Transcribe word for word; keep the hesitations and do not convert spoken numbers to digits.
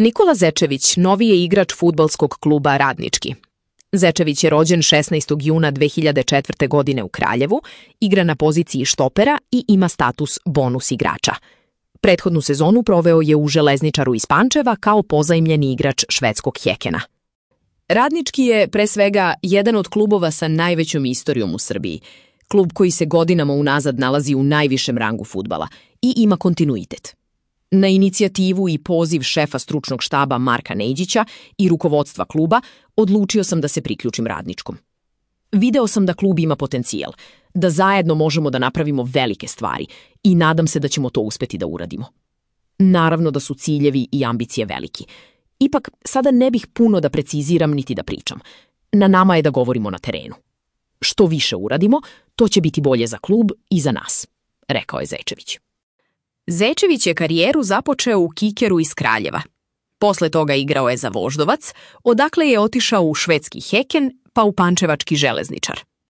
Nikola Zečević novi je igrač fudbalskog kluba Radnički. Zečević je rođen šesnaestog juna dve hiljade četvrte. godine u Kraljevu, igra na poziciji štopera i ima status bonus igrača. Prethodnu sezonu proveo je u Železničaru iz Pančeva kao pozajmljeni igrač švedskog Hekena. Radnički je, pre svega, jedan od klubova sa najvećom istorijom u Srbiji. Klub koji se godinama unazad nalazi u najvišem rangu fudbala i ima kontinuitet. Na inicijativu i poziv šefa stručnog štaba Marka Neđića i rukovodstva kluba odlučio sam da se priključim Radničkom. Video sam da klub ima potencijal, da zajedno možemo da napravimo velike stvari i nadam se da ćemo to uspeti da uradimo. Naravno da su ciljevi i ambicije veliki. Ipak, sada ne bih puno da preciziram niti da pričam. Na nama je da govorimo na terenu. Što više uradimo, to će biti bolje za klub i za nas, rekao je Zečević. Zečević je karijeru započeo u Kikeru iz Kraljeva. Posle toga igrao je za Voždovac, odakle je otišao u švedski Heken pa u pančevački Železničar.